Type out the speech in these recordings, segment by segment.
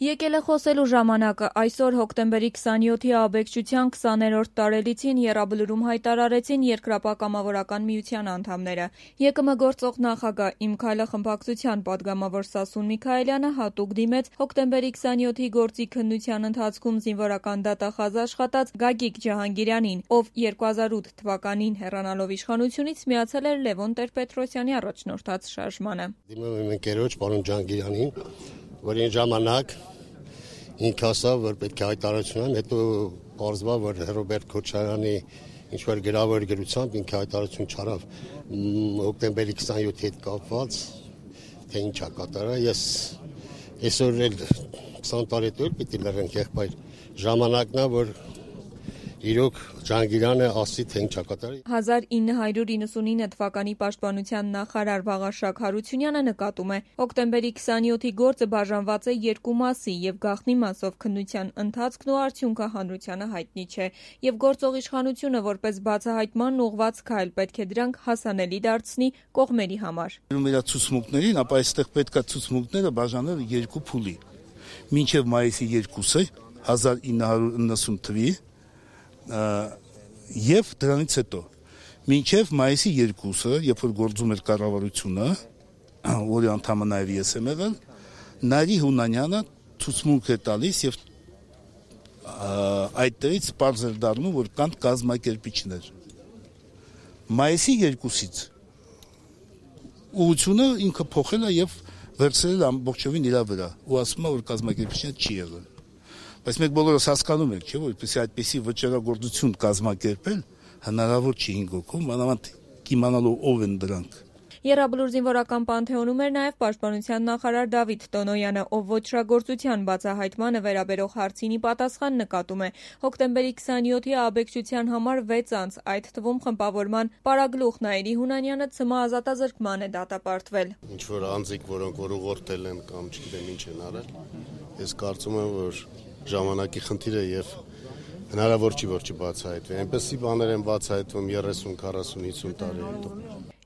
Եկել է խոսելու ժամանակը։ Այսօր հոկտեմբերի 27-ի աբեկչության 20-րդ տարելիցին եռաբլուրում հայտարարեցին Երկրապահ-կամավորական միության անդամները։ ԵԿՄ գործող նախագահ «Իմ քայլը» խմբակցության падգամավոր Սասուն Միքայելյանը հատուկ դիմեց հոկտեմբերի 27-ի գործի քննության ընթացքում զինվորական դատախազ աշխատած Գագիկ Ջահանգիրյանին, ով 2008 թվականին հեռանալով իշխանությունից միացել էր Լևոն Տեր-Պետրոսյանի առաջնորդած շարժմանը։ Դիմում եմ ընկերոջ պարոն Ջահանգիրյանին, որ այն ժամանակ ինքը ասավ, որ պետք է հայտարարություն անեմ, հետո պարզվավ, որ Ռոբերտ Քոչարյանի ինչ-որ գրավոր գրությամբ ինքը հայտարարություն չարավ հոկտեմբերի 27-ի հետ կապված, թե ինչ է կատարել։ Ես այսօր էլ 20 տարի հետո պիտի լռենք, եղբայր ժամանակն է, որ իրոք Ջահանգիրյանը ասի, թե ինչ է կատարել։ 1999 թվականի պաշտպանության նախարար Վաղարշակ Հարությունյանը նկատում է, հոկտեմբերի 27-ի գործը բաժանված է երկու մասի եւ գաղտնի մասով քննության ընթացքն ու արդյունքը հանրությանը հայտնի չէ, եւ գործող իշխանությունը որպես բացահայտման ուղղված քայլ պետք է դրանք հասանելի դարձնի կողմերի համար։ Մեր ցուցմունքներին, ապա այստեղ պետք է ցուցմունքները բաժանել երկու փուլի։ Մինչեւ մայիսի 2-ը 1990 թվականի եւ դրանից հետո մինչեւ մայիսի 2-ը, երբ որ գործում էր կառավարությունը, որի անդամը նաեւ ես եմ եղել, Նարի Հունանյանը ցուցմունք է տալիս եւ այդտեղից պարզ էր դառնում, որ կան կազմակերպիչներ։ Մայիսի 2-ից ուղղությունը ինքը փոխել է եւ վերցրել ամբողջովին իր վրա ու ասում է, որ կազմակերպիչներ չի եղել։ Բայց մենք բոլորս հասկանում ենք, չէ՞, որպեսզի այդպիսի վճռագործություն կազմակերպել հնարավոր չի 5 հոգում, մանավանդ իմանալով ով են դրանք։ Եռաբլուր զինվորական պանթեոնում էր նաև պաշտպանության նախարար Դավիթ Տոնոյանը, ով ոչռագործության բացահայտմանը վերաբերող հարցին ի պատասխան նկատում է հոկտեմբերի 27-ի աբեկչության համար 6 անց, այդ թվում խմբավորման պարագլուխ Նայիրի Հունանյանը ՑՄ ազատազրկման է դատապարտվել։ Ինչ որ անձիկ, որոնք որ ուղղորդել են կամ չգիտեմ ինչ են արել, ես կարծում եմ, որ ժամանակի խնդիր է եւ հնարավոր չի որ չբացահայտվի։ Այնպեսի բաներ են բացահայտվում 30, 40, 50 տարի հետո։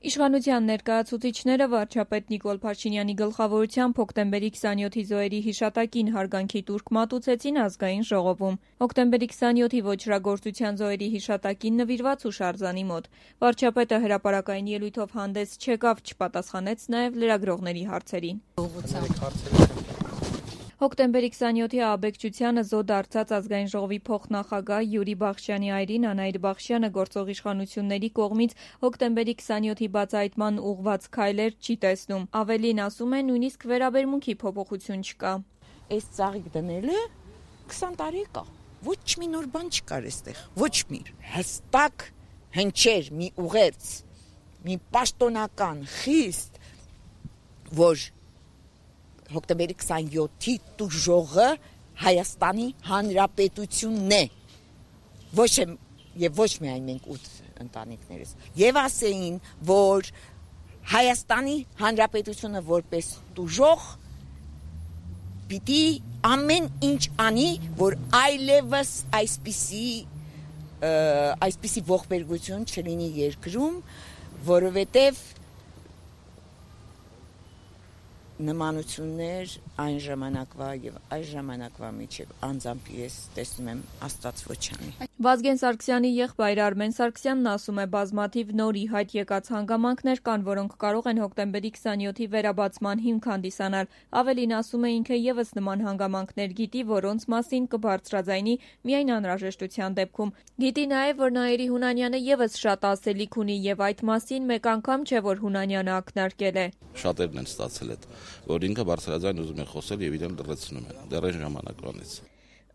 Իշխանության ներկայացուցիչները վարչապետ Նիկոլ Փաշինյանի գլխավորությամբ հոկտեմբերի 27-ի զոհերի հիշատակին հարգանքի տուրք մատուցեցին ազգային ժողովում։ Հոկտեմբերի 27-ի ոչռագործության զոհերի հիշատակին նվիրված հուշարձանի մոտ վարչապետը հրապարակային ելույթով հանդես չեկավ, չպատասխանեց նաև լրագրողների հարցերին։ Հոկտեմբերի 27-ի աբեկչությանը զոհ դարձած ազգային ժողովի փոխնախագահ Յուրի Բախշյանի այրին Անահիտ Բախշյանը գործող իշխանությունների կողմից հոկտեմբերի 27-ի բացահայտման ուղղված քայլեր չի տեսնում։ Ավելին ասում է, նույնիսկ վերաբերմունքի փոփոխություն չկա։ Այս ծաղիկ դնելը 20 տարի կա։ Ոչ մի նոր բան չկար այստեղ։ Ոչ մի հստակ հնչեր մի ուղերձ, մի պաշտոնական խիստ, որ հոկտեմբերի 27-ի տուժողը Հայաստանի Հանրապետությունն է։ Ոչ միայն մենք 8 ընտանիքներս։ Եվ ասեին, որ Հայաստանի Հանրապետությունը որպես տուժող պիտի ամեն ինչ անի, որ այլևս այսպիսի ողբերգություն չլինի երկրում, որովհետև նմանություններ այն ժամանակվա եւ այս ժամանակվա միջև անձամբ ես տեսնում եմ Աստված ոչ անի։ Վազգեն Սարգսյանի եղբայր Արմեն Սարգսյանն ասում է, բազմաթիվ նոր ի հայտ եկած հանգամանքներ կան, որոնք կարող են հոկտեմբերի 27-ի վերաբացման հիմք հանդիսանալ։ Ավելին ասում է, ինքը եւս նման հանգամանքներ գիտի, որոնց մասին կբարձրաձայնի միայն անհրաժեշտության դեպքում։ Գիտի նաեւ, որ Նայիրի Հունանյանը եւս շատ ասելիք ունի եւ այդ մասին մեկ անգամ չէ, որ Հունանյանը ակնարկել է։ Շատերն են ստացել այդ, որ ինքը բարձրաձայն ուզում է խոսել եւ իրեն լրացնում են դեռ այն ժամանակվանից։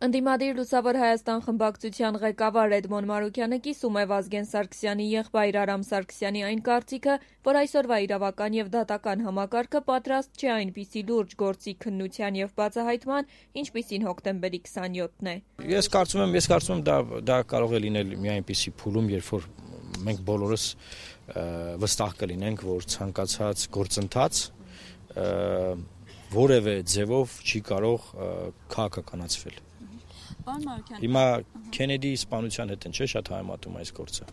Ընդդիմադիր Լուսավոր Հայաստան խմբակցության ղեկավար Էդմոն Մարուկյանը կիսում է Վազգեն Սարգսյանի եղբայր Արամ Սարգսյանի այն կարծիքը, որ այսօրվա իրավական եւ դատական համակարգը պատրաստ չէ այնպիսի լուրջ գործի քննության եւ բացահայտման, ինչպիսին հոկտեմբերի 27-ն է։ Ես կարծում եմ դա կարող է լինել մի այնպիսի փուլում, երբ որ մենք բոլորս վստահ կլինենք, որ ցանկացած գործընթաց որևէ ձևով չի կարող քաղաքականացվել։ Հիմա Քենեդի սպանության հետ չէ շատ համեմատում այս գործը։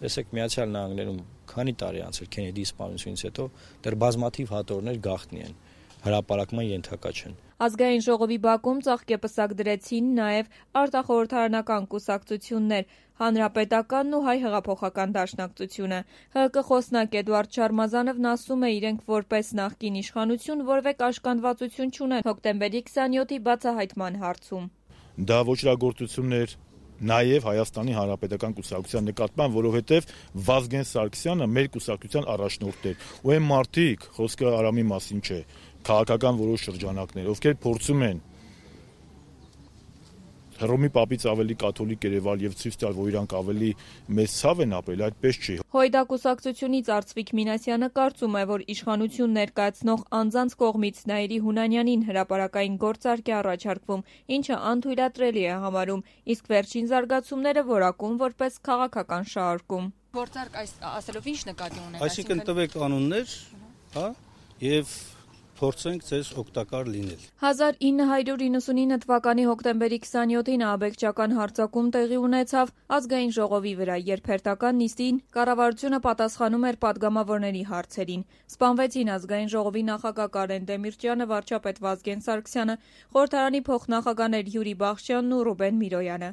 Տեսեք, Միացյալ Նահանգներում քանի տարի անցել Քենեդի սպանությունից հետո դեռ բազմաթիվ հատորներ գաղտնի են, հրապարակման ենթակա չեն։ Ազգային ժողովի բակում ծաղկեպսակ դրեցին նաև արտախորհրդարանական կուսակցություններ, Հանրապետականն ու Հայ հեղափոխական դաշնակցությունը։ ՀՀԿ խոսնակ Էդուարդ Շարմազանովն ասում է, իրենք որպես նախկին իշխանություն որևէ կաշկանդվածություն չունեն հոկտեմբերի 27-ի բացահայտման հարցում։ Դա ոչրագործություններ նաև Հայաստանի Հանրապետական կուսակցության նկատմամբ, որովհետև Վազգեն Սարգսյանը մեր կուսակցության առաջնորդ էր, ու այն մարդիկ, խոսքը Արամի մասին չէ, քաղաքական որոշ շրջանակներ, ովքեր փորձում են Հռոմի պապից ավելի կաթոլիկ Երևալ եւ ցույց տալ, որ իրանք ավելի մեծ ցավ են ապրել, այդպես չի։ Հույդա կուսակցությունից Արծվիկ Մինասյանը կարծում է, որ իշխանություն ներկայացնող անձանց կողմից Նաիրի Հունանյանին հրապարակային գործարք է առաջարկվում, ինչը անթույլատրելի է համարում, իսկ վերջին զարգացումները որակում որպես քաղաքական շահարկում։ Գործարք ասելով ինչ նկատի ունեք։ Այսինքն տվեք անուններ, հա, եւ փորձենք ձեզ օգտակար լինել։ 1999 թվականի հոկտեմբերի 27-ին աբեկչական հարձակում տեղի ունեցավ ազգային ժողովի վրա, երբ հերթական նիստին կառավարությունը պատասխանում էր падգամավորների հարցերին։ Սպանվեցին ազգային ժողովի նախագահ Կարեն Դեմիրճյանը, վարչապետ Վազգեն Սարգսյանը, խորհրդարանի փոխնախագահներ Յուրի Բախշյանն ու Ռուբեն Միրոյանը։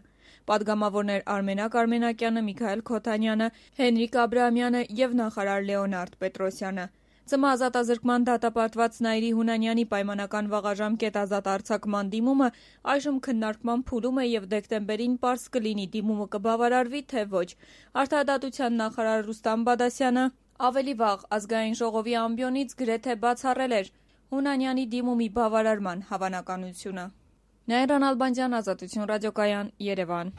Պատգամավորներ Արմենակ Արմենակյանը, Միքայել Քոթանյանը, Հենրիկ Աբրահամյանը եւ նախարար Լեոնարդ Պետրոսյանը։ ՑՄ ազատազրկման դատապարտված Նաիրի Հունանյանի պայմանական վաղաժամկետ ազատ արձակման դիմումը այժմ քննարկման փուլում է եւ դեկտեմբերին պարզ կլինի դիմումը կբավարարվի թե ոչ։ Արդարադատության նախարար Ռուստամ Բադասյանը ավելի վաղ ազգային ժողովի ամբիոնից գրեթե բացառել էր Հունանյանի դիմումի բավարարման հավանականությունը։ Նաիրա Նալբանդյան, Ազատություն ռադիոկայան, Երևան։